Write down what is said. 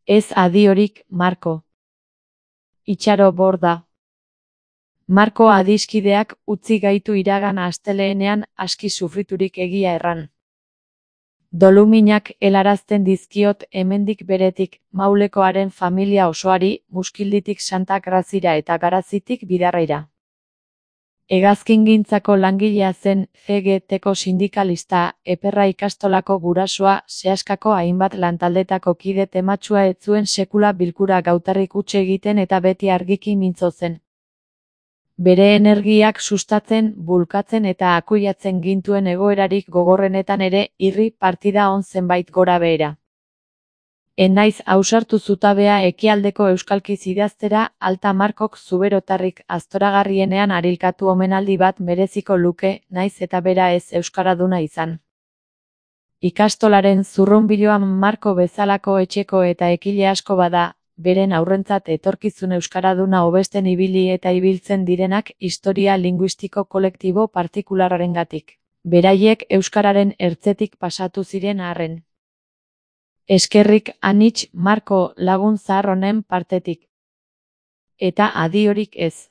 Ez adiorik, Marko. Itxaro borda. Marko adiskideak utzi gaitu iragan asteleenean aski sufriturik egia erran. Doluminak helarazten dizkiot hemendik beretik Maulekoaren familia osoari, Muskilditik Santa Grazira eta Garazitik Bidarraira. Hegazkingintzako langilea zen, CGT-ko sindikalista, Eperra ikastolako gurasoa, Seaskako hainbat lantaldetako kide tematsua ez zuen sekula bilkura gautarrik huts egiten eta beti argiki mintzo zen. Bere energiak sustatzen, bulkatzen eta akuiatzen gintuen egoerarik gogorrenetan ere, irri partida on zenbait gora behera. Enaiz ausartu zutabea ekialdeko euskalkiz idaztera, Alta Markok zuberotarrik aztoragarrienean arilkatu omenaldi bat mereziko luke, naiz eta bera ez euskaraduna izan. Ikastolaren zurrunbiloan Marko bezalako etxeko eta ekile asko bada, beren aurrentzat etorkizun euskaraduna hobesten ibili eta ibiltzen direnak historia linguistiko kolektibo partikularengatik. Beraiek euskararen ertzetik pasatu ziren arren. Eskerrik anitz Marko lagun zahar honen partetik. Eta adiorik ez.